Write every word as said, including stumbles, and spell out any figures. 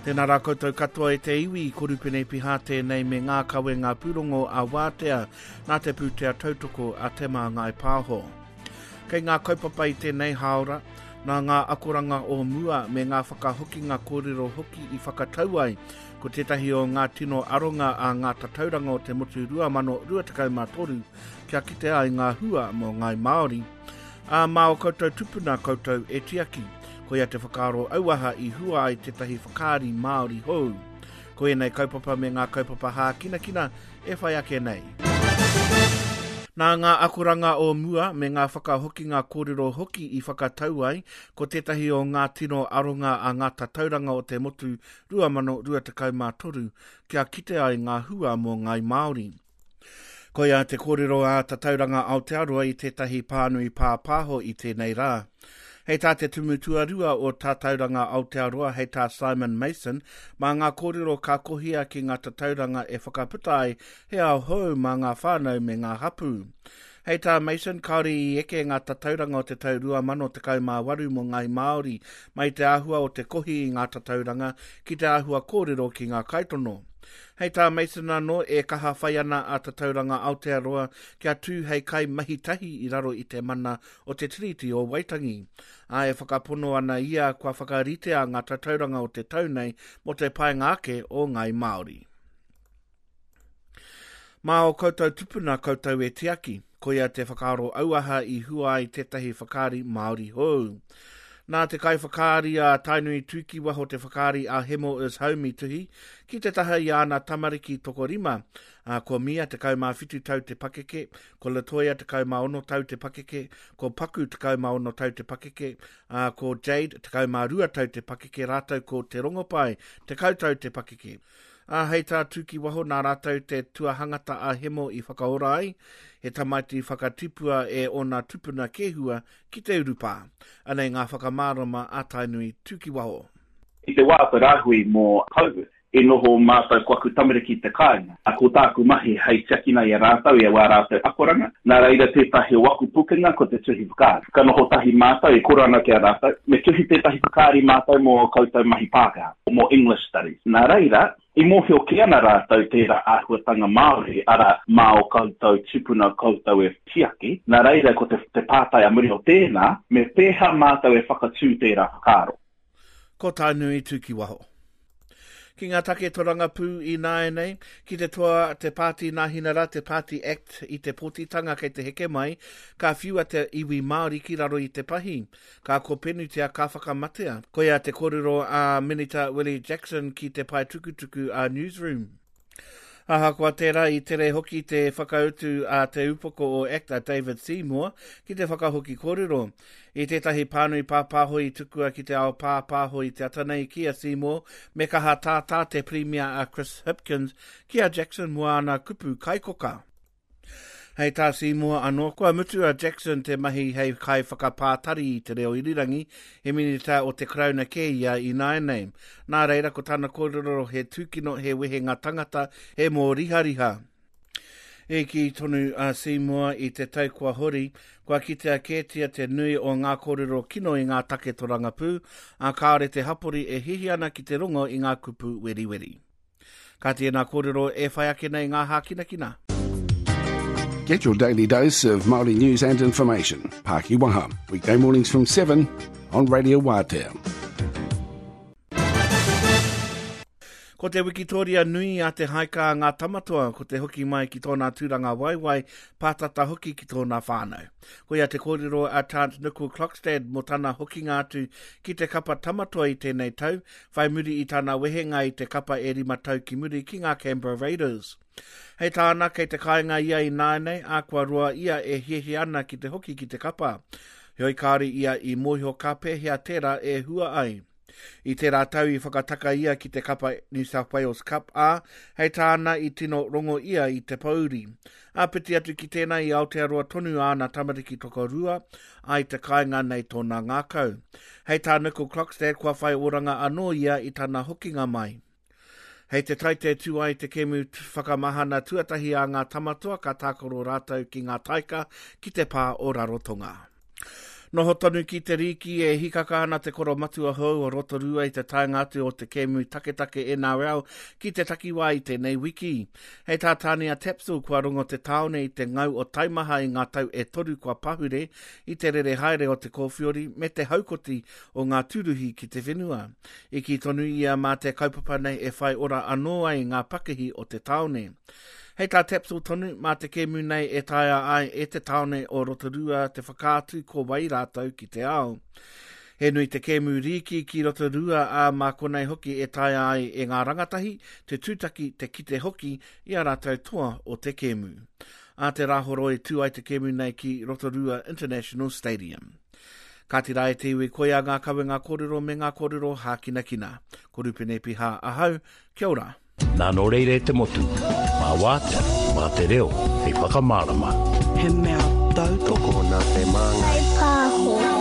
Tēnā rā koutou katoa e te iwi, ko Rupene Piha tēnei me ngā kawenga pūrongo a Wātea nā te pūtea tautoko a Te Māngai Pāho. Kei ngā kaupapa i tēnei hāora, nā ngā akoranga o mua me ngā whakahokinga kōrero hoki i whakatau ai, ko tētahi o ngā tino aronga a ngā tatauranga o te motu rua mano rua tekau mā toru kia kite ai ngā hua mō Ngāi Māori. Ā, mā o koutou tupuna koutou e tiaki. Koia te whakaaro auaha i hua ai tētahi whakaari Māori hou. Ko ēnei kaupapa me ngā kaupapa hākinakina e whai ake nei. Nā ngā akoranga o mua me ngā whakahokinga kōrero hoki i whakatau ai, ko tētahi o ngā tino aronga a ngā tatauranga o te motu rua mano rua tekau mā toru kia kite ai ngā hua mō Ngāi Māori. Koia te kōrero a Tatauranga Aotearoa i tētahi pānui pāpāho i tēnei rā. Hei tā te tumu tuarua o Tatauranga Aotearoa, hei tā Simon Mason, mā ngā kōrero ka kohia ki ngā tatauranga e whakaputa ai he ao hou mā ngā whānau me ngā hapū. Hei tā Mason, kāore i eke ngā tatauranga o te tau rua mano tekau mā waru mō Ngāi Māori, mai te āhua o te kohi i ngā tatauranga ki te āhua kōrero ki ngā kaitono. Hei tā Mason anō, e kaha whai ana a Tatauranga Aotearoa kia tū hei kai mahi tahi i raro i te mana o te Tiriti o Waitangi. Ā, e whakapono ana ia kua whakaritea ngā tatauranga o te tau nei mō te painga ake o Ngāi Māori. Mā o koutou tupuna koutou e tiaki, koia te whakaaro auaha i hua ai tētahi whakaari Māori hou. Nā te kaiwhakaari a Tainui Tukiwaho te whakaari a Hemo is Home i tuhi, ki te taha i āna tamariki tokorima, ā, ko Mia tekau mā whitu tau te pakeke, ko Latoya tekau mā ono tau te pakeke, ko Paku tekau mā ono tau te pakeke, ā, ko Jade tekau mā rua tau te pakeke rātou ko Te Rongopai tekau tau te pakeke. Ā, hei tā Tukiwaho nā rātou te tuahangata a Hemo i whakaora ai, he tamaiti whakatipua e ōna tupuna kēhua ki te urupā. Anei ngā whakamārama a Tainui Tukiwaho. I te wā te rāhui mō COVID, i noho mātou ko aku tamariki te kāinga. A ko tāku mahi hei tiakina i a rātou, i a wā rātou akoranga. Nā reira tētahi o aku pukenga ko te tuhi whakaari. Ka noho tahi mātou e kore ana ki a rātou, me tuhi tētahi whakaari mātou mō koutou mahi Pākehā, mō English Studies. Nā reira, i mōhio kē ana rātou tērā āhuatanga Māori, arā, mā o koutou tupuna koutou e tiaki. Nā reira, ko te, te pātai a muri o tēnā, me pēhea mātou e whakatū tērā whakaaro. Ko Tainui Tukiwaho. Ki ngā take torangapū i nāianei, ki te toa te Pāti Nāhinara, te Pāti Act i te pōtitanga kei te heke mai, ka whiua te iwi Māori ki raro i te pahi. Ka kopenutia, ka whakamatea. Koia te kōrero a Minita Willie Jackson ki te pae tukutuku a Newsroom. Ahakoa tērā i tere hoki te whakautu a te upoko o A C T a David Seymour ki te whakahoki kōrero. I tētahi pānui pāpāho i tukua ki te ao pāpāho i te ata nei ki a Seymour, me kaha tātā te Premier a Chris Hipkins ki a Jackson mō āna kupu kaikoka. Hei tā Seymour anō, kua mutu a Jackson te mahi hei kai whakapātari i te reo irirangi, he minita o te Karauna kē ia i nāianei. Nā reira ko tana kōrero he tūkino, he wehenga tangata, he mōrihariha. E kī tonu a Seymour i te tau kua hori, kua kitea kētia te nui o ngā kōrero kino i ngā take torangapū, ā kāore te hapori e hihi ana ki te rongo i ngā kupu weriweri. Ka tēnā kōrero e whai ake nei ngā hākinakina. Get your daily dose of Māori news and information. Pāki Waha, weekday mornings from seven on Radio Wātea. Ko te Wikitoria nui a te haika a ngā tamatoa, ko te hoki mai ki tōna tūranga waiwai, pātata hoki ki tōna whānau. Koia te kōrero a Tant Nicole Klokstad mō tana hokinga atu ki te kapa tamatoa i tēnei tau, whai muri i tana wehenga i te kapa e rima tau ki muri ki ngā Canberra Raiders. Hei tāna, kei te kāinga ia i nāianei, ā kua roa ia e hiahia ana ki te hoki ki te kapa. Heoi kāore ia i mōhio ka pēhea tērā e hua ai. I tērā tau i whakataka ia ki te kapa New South Wales Cup, ā, hei tāna i tino rongo ia i te pouri. Āpiti atu ki tēnā i Aotearoa tonu āna tamariki tokorua, ā i te kāinga nei tōna ngākau. Hei tā Nicole Klokstad kua whai oranga anō ia i tana hokinga mai. Hei te taite tū ai te kemu whakamahana tuatahi a ngā tamatoa ka tākaro rātou ki ngā taika ki te pā o Rarotonga. Noho tonu ki te rīki e hikaka ana te koromatua hou o Rotorua i te taenga atu o te kēmu taketake N R L ki te takiwā i tēnei wiki. Hei tā Tania Tapsell, kua rongo te tāone i te ngau o taimaha i ngā tau e toru kua pahure i te rere haere o te kōwhiori me te haukoti o ngā tūruhi ki te whenua. I kī tonu ia mā te kaupapa nei e whai ora anō ai ngā pakihi o te tāone. Hei tā Tapsell tonu, mā te kēmu nei e taea ai e te tāone o Rotorua te whakaatu ko wai rātou ki te ao. He nui te kēmu rīki ki Rotorua, a mā konei hoki e taea ai e ngā rangatahi, te tūtaki, te kite hoki i a rātou toa o te kēmu. A te Rāhoroi tū ai te kēmu nei ki Rotorua International Stadium. Kāti rā e te iwi, koia ngā kawenga kōrero me ngā kōrero hākinakina. Ko Rupene Piha ahau, kia ora. Nā nō reira e te motu, mā wātea, mā te reo, hei whakamārama. He mea tautoko nā te Māngai Pāho.